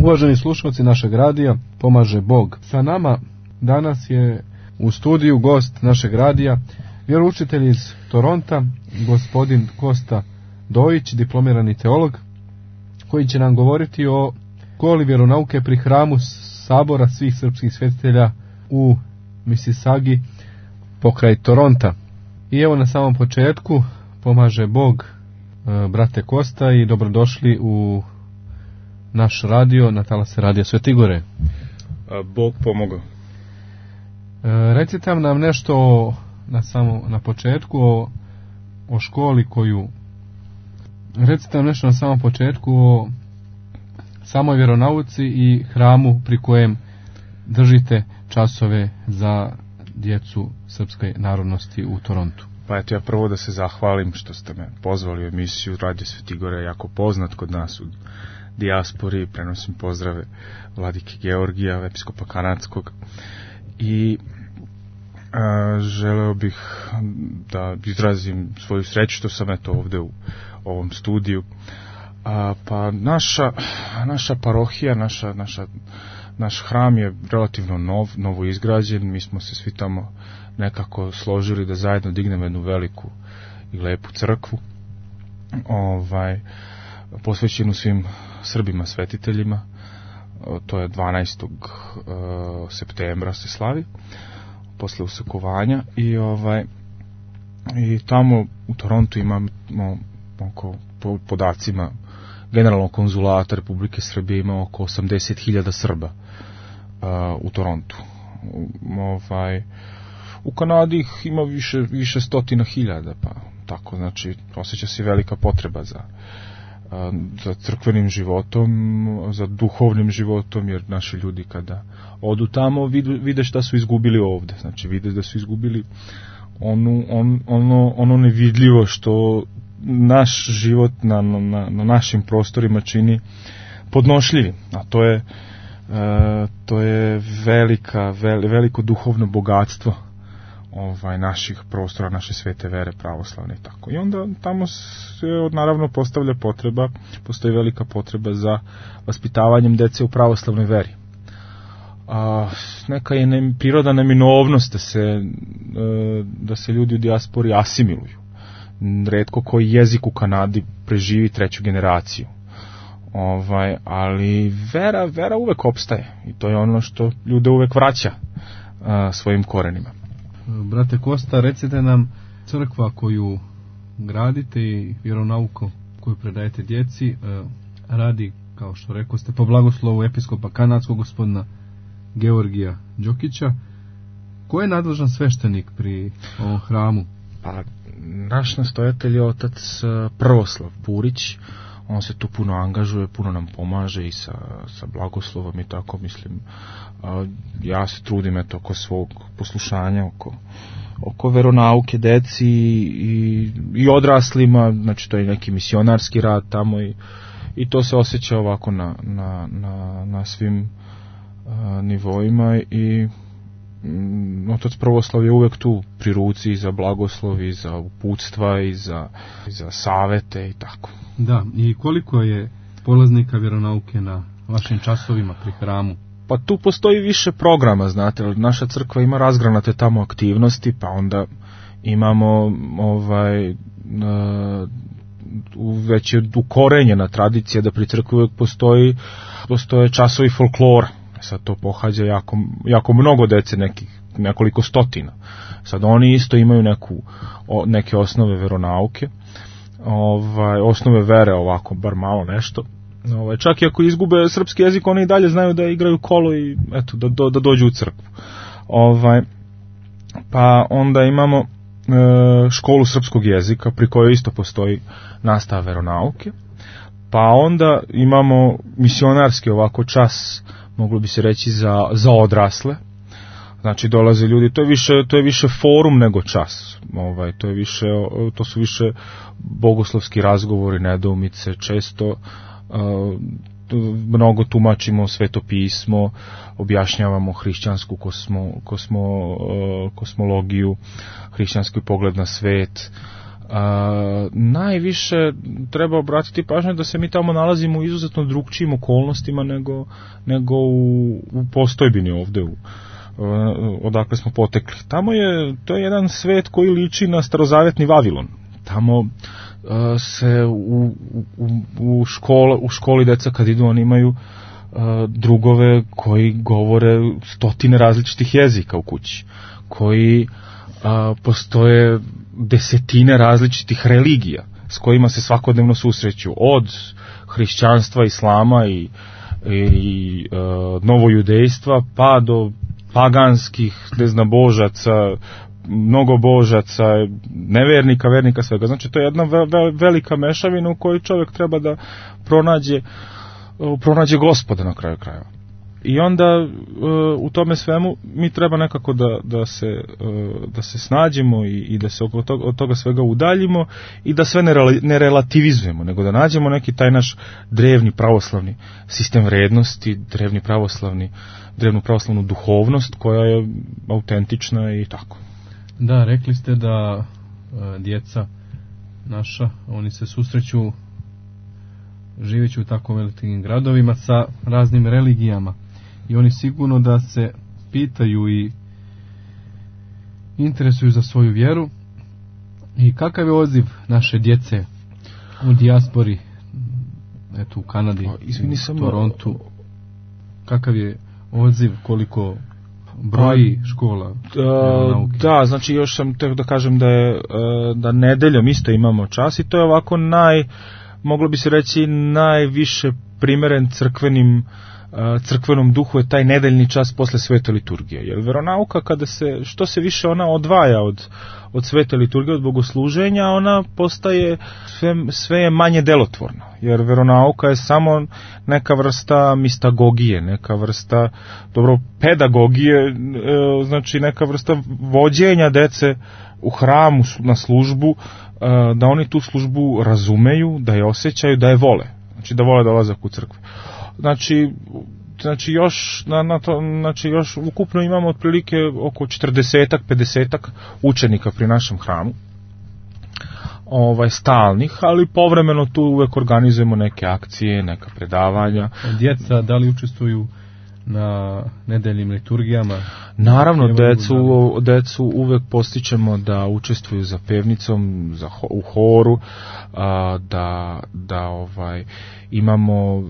Uvaženi slušalci našeg radija, pomaže Bog. Sa nama danas je u studiju gost našeg radija, vjeroučitelj iz Toronta, gospodin Kosta Dojić, diplomirani teolog, koji će nam govoriti o školi vjeronauke pri hramu Sabora svih srpskih svetitelja u Mississaugi pokraj Toronta. I evo na samom početku, pomaže Bog, brate Kosta, i dobrodošli u naš radio, na talase Radija Svete Gore. Bog pomogao. Recite nam nešto na početku o školi koju... Recite nam nešto na samom početku o samoj vjeronauci i hramu pri kojem držite časove za djecu srpske narodnosti u Torontu. Pa eto, ja prvo da se zahvalim što ste me pozvali u emisiju. Radio Sveti Gore je jako poznat kod nas u dijaspori. Prenosim pozdrave vladike Georgija, episkopa kanadskog, i želeo bih da izrazim svoju sreću što sam eto ovde u ovom studiju. Pa naša parohija, naš hram je relativno novo izgrađen. Mi smo se svi tamo nekako složili da zajedno dignemo jednu veliku i lepu crkvu, posvećenu svim Srbima svetiteljima. To je 12. septembra se slavi, posle usakovanja, i tamo u Torontu imamo oko, po podacima Generalnog konzulata Republike Srbije, ima oko 80.000 Srba u Torontu. U Kanadi ih ima više stotina hiljada, pa tako, znači osjeća se velika potreba za crkvenim životom, za duhovnim životom, jer naši ljudi kada odu tamo vide šta su izgubili ovde, znači vide da su izgubili ono nevidljivo što naš život na našim prostorima čini podnošljivim, a to je veliko duhovno bogatstvo naših prostora, naše svete vere pravoslavne i tako. I onda tamo se naravno postoji velika potreba za vaspitavanjem dece u pravoslavnoj veri. Neka je priroda neminovnost da se ljudi u dijaspori asimiluju. Retko koji jezik u Kanadi preživi 3. generaciju. Ali vera uvek opstaje i to je ono što ljude uvek vraća svojim korenima. Brate Kosta, recite nam, crkva koju gradite i vjeronauku koju predajete djeci radi, kao što rekao ste, po blagoslovu episkopa kanadskog gospodina Georgija Đokića. Ko je nadležan sveštenik pri ovom hramu? Pa, naš nastojatelj je otac Prvoslav Purić. On se tu puno angažuje, puno nam pomaže i sa blagoslovom i tako, mislim. Ja se trudim oko svog poslušanja, oko veronauke deci i odraslima, znači to je neki misionarski rad tamo i to se osjeća ovako na svim nivoima i otac Prvoslav je uvek tu pri ruci i za blagoslov i za uputstva i za savete i tako. Da, i koliko je polaznika vjeronauke na vašim časovima pri hramu? Pa tu postoji više programa, znate, naša crkva ima razgranate tamo aktivnosti, pa onda imamo već je ukorenjena tradicija da pri crkvi uvek postoje časovi folklora. Sad to pohađa jako mnogo dece, nekoliko stotina. Sad oni isto imaju neke osnove veronauke, osnove vere, ovako, bar malo nešto. Čak i ako izgube srpski jezik, oni i dalje znaju da igraju kolo i eto, da dođu u crkvu. Pa onda imamo školu srpskog jezika, pri kojoj isto postoji nastava veronauke. Pa onda imamo misionarski ovako čas, moglo bi se reći za odrasle. Znači dolaze ljudi, to je više forum nego čas. To su više bogoslovski razgovori, nedoumice, često mnogo tumačimo Sveto pismo, objašnjavamo hrišćansku kosmologiju, hrišćanski pogled na svet. Najviše treba obratiti pažnju da se mi tamo nalazimo u izuzetno drugčijim okolnostima nego u postojbini ovde odakle smo potekli. To je jedan svet koji liči na starozavjetni Vavilon. Tamo se u školi deca kad idu, oni imaju drugove koji govore stotine različitih jezika u kući, koji postoje desetine različitih religija s kojima se svakodnevno susreću, od hrišćanstva, islama i novojudejstva pa do paganskih neznabožaca, mnogobožaca, nevernika, vernika, svega. Znači, to je jedna velika mešavina u kojoj čovjek treba da pronađe Gospoda na kraju krajeva. I onda u tome svemu mi treba nekako da se snađemo i da se od toga svega udaljimo i da sve ne relativizujemo, nego da nađemo neki taj naš drevni pravoslavni sistem vrednosti, drevnu pravoslavnu duhovnost koja je autentična i tako. Da, rekli ste da djeca naša, oni se susreću živeći u tako velikim gradovima sa raznim religijama i oni sigurno da se pitaju i interesuju za svoju vjeru. I kakav je odziv naše djece u dijaspori, eto u Kanadi, u Torontu, kakav je odziv, koliko broji škola nauke? Da, znači još sam htio da kažem da nedeljom isto imamo čas i to je ovako moglo bi se reći najviše primeren crkvenom duhu je taj nedeljni čas posle svete liturgije. Jer veronauka, što se više ona odvaja od svete liturgije, od bogosluženja, ona postaje sve je manje delotvorno. Jer veronauka je samo neka vrsta mistagogije, neka vrsta pedagogije, znači neka vrsta vođenja dece u hramu na službu, da oni tu službu razumeju, da je osjećaju, da je vole. Znači da vole dolazak u crkvu. Znači još ukupno imamo otprilike oko 40-50 učenika pri našem hramu. Stalnih, ali povremeno tu uvek organizujemo neke akcije, neka predavanja. Djeca da li učestvuju na nedeljnim liturgijama? Naravno, decu uvek postičemo da učestvuju za pevnicom, u horu, da imamo...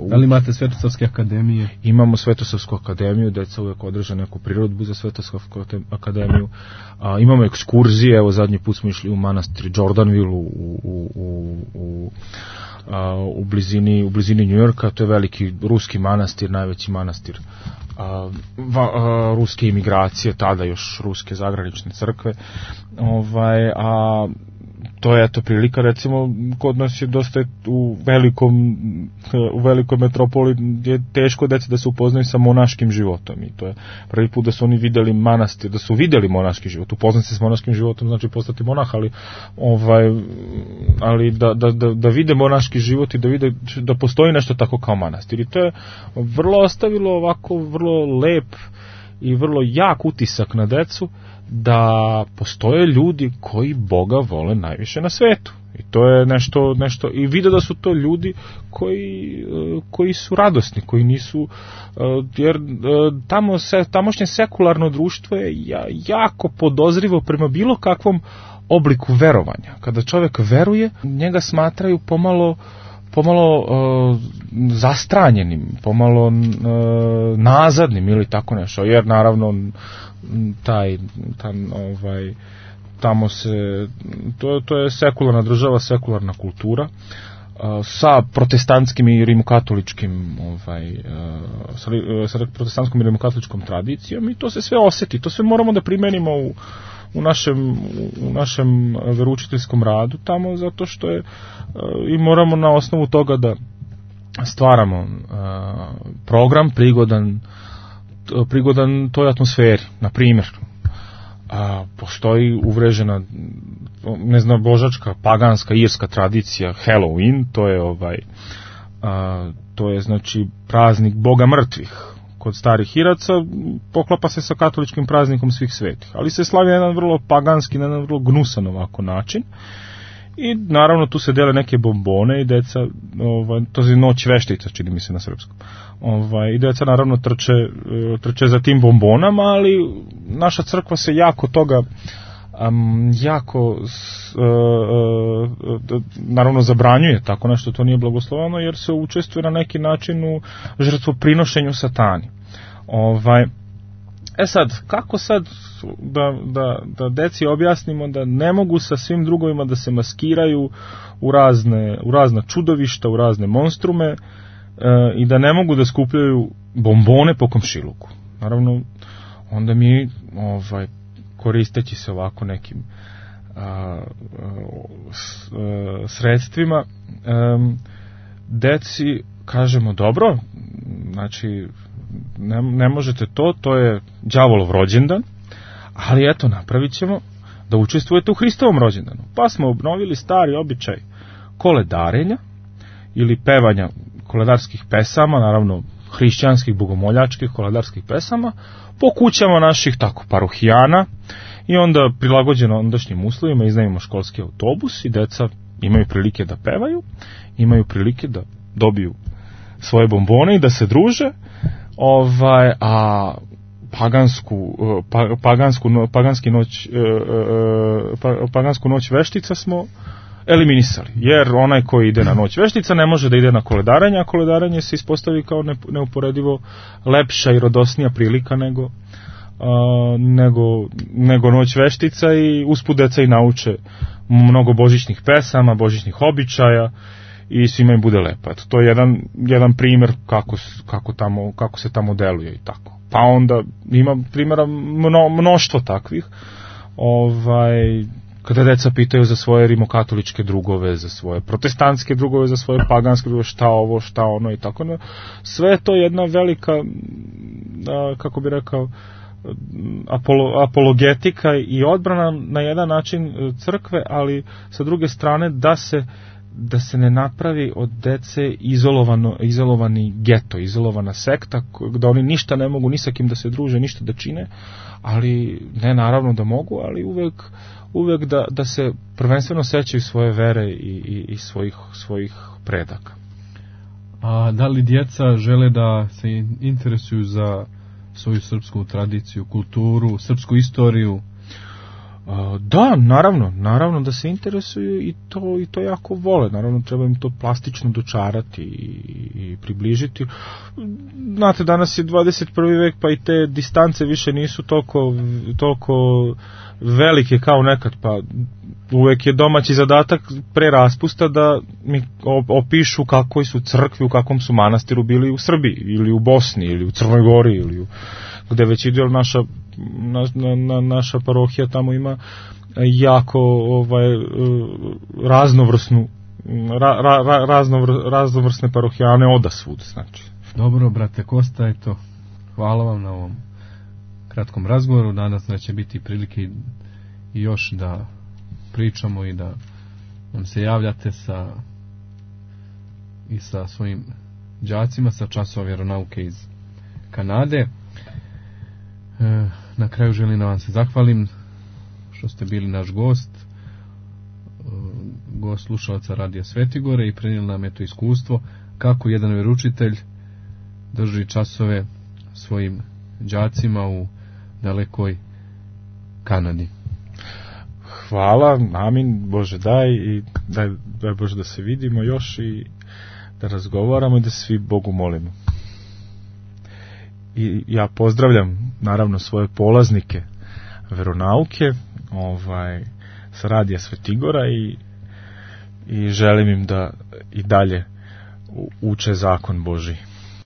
Da li imate Svetosavske akademije? Imamo Svetosavsku akademiju, deca uvek održe neku prirodbu za Svetosavsku akademiju. Imamo ekskurzije, evo zadnji put smo išli u manastir Jordanville u blizini New Yorka, to je veliki ruski manastir, najveći manastir ruske imigracije, tada još ruske zagranične crkve. To je prilika, recimo, kod nas je dosta u velikoj metropoli je teško deci da se upoznaju sa monaškim životom i to je prvi put da su oni vidjeli manastir, da su vidjeli monaški život. Upoznati se s monaškim životom znači postati monah, ali da vide monaški život i da vide da postoji nešto tako kao manastir. I to je vrlo ostavilo ovako vrlo lep i vrlo jak utisak na decu, da postoje ljudi koji Boga vole najviše na svetu. I to je nešto i vide da su to ljudi koji su radosni, koji nisu, jer tamošnje sekularno društvo je jako podozrivo prema bilo kakvom obliku verovanja. Kada čovjek veruje, njega smatraju pomalo zastranjenim, pomalo nazadnim ili tako nešto, jer naravno tamo se to je sekularna država, sekularna kultura sa protestantskim i rimokatoličkim sa protestantskom i rimokatoličkom tradicijom i to se sve osjeti, to sve moramo da primenimo u našem veroučiteljskom radu tamo, zato što je i moramo na osnovu toga da stvaramo program prigodan toj atmosferi. Na primjer, postoji uvrežena božačka, paganska, irska tradicija Halloween, to je znači praznik Boga mrtvih, kod starih Iraca poklapa se sa katoličkim praznikom svih svetih, ali se slavi na jedan vrlo paganski, na jedan vrlo gnusan ovako način. I naravno tu se dele neke bombone i deca, to je noć veštica, čini mi se na srpskom. I deca naravno trče za tim bombonama, ali naša crkva se jako toga naravno zabranjuje tako nešto, to nije blagosloveno, jer se učestvuje na neki način u žrtvoprinošenju satani. Sad, kako sad da deci objasnimo da ne mogu sa svim drugovima da se maskiraju u razna čudovišta, u razne monstrume i da ne mogu da skupljaju bombone po komšiluku. Naravno, onda mi koristeći se ovako nekim sredstvima, deci kažemo dobro, znači ne možete to je đavolov rođendan, ali eto napravit ćemo da učestvujete u Hristovom rođendanu. Pa smo obnovili stari običaj koledarenja ili pevanja koledarskih pesama, naravno hrišćanskih, bogomoljačkih koledarskih pesama, po kućama naših tako parohijana i onda prilagođeno ondašnjim uslovima iznajmimo školski autobus i deca imaju prilike da pevaju, imaju prilike da dobiju svoje bombone i da se druže, a pagansku noć veštica smo eliminisali, jer onaj koji ide na noć veštica ne može da ide na koledaranje, a koledaranje se ispostavi kao neuporedivo lepša i radosnija prilika nego noć veštica i usput deca i nauče mnogo božićnih pesama, božićnih običaja i svima im bude lepo. Eto, to je jedan primjer kako se tamo deluje i tako. Pa onda ima primjera mnoštvo takvih. Kada deca pitaju za svoje rimokatoličke drugove, za svoje protestantske drugove, za svoje paganske drugove, šta ovo, šta ono i tako. Sve je to jedna velika, kako bi rekao, apologetika i odbrana na jedan način crkve, ali sa druge strane da se ne napravi od dece izolovani geto, izolovana sekta, da oni ništa ne mogu ni sa kim da se druže, ništa da čine, ali ne naravno da mogu, ali uvek da se prvenstveno sećaju svoje vere i svojih predaka. A da li djeca žele da se interesuju za svoju srpsku tradiciju, kulturu, srpsku istoriju? Da, naravno da se interesuju i to jako vole. Naravno treba im to plastično dočarati i približiti. Znate, danas je 21. vek, pa i te distance više nisu toliko velike kao nekad, pa uvek je domaći zadatak pre raspusta da mi opišu kakvoj su crkvi, u kakvom su manastiru bili u Srbiji ili u Bosni ili u Crnoj Gori ili gde već ide naša parohija tamo ima jako raznovrsne parohijane odasvud, znači. Dobro, brate Kosta, eto, hvala vam na ovom kratkom razgovoru. Danas će biti prilike i još da pričamo i da nam se javljate sa svojim đacima sa časova vjeronauke iz Kanade. Na kraju želim da vam se zahvalim što ste bili naš gost slušalaca Radija Svetigore i prenijeli nam to iskustvo kako jedan vjeroučitelj drži časove svojim đacima u dalekoj Kanadi. Hvala, amin, Bože daj i daj Bože da se vidimo još i da razgovaramo i da svi Bogu molimo. I ja pozdravljam naravno svoje polaznike veronauke sa Radija Svetigora i želim im da i dalje uče zakon Božji.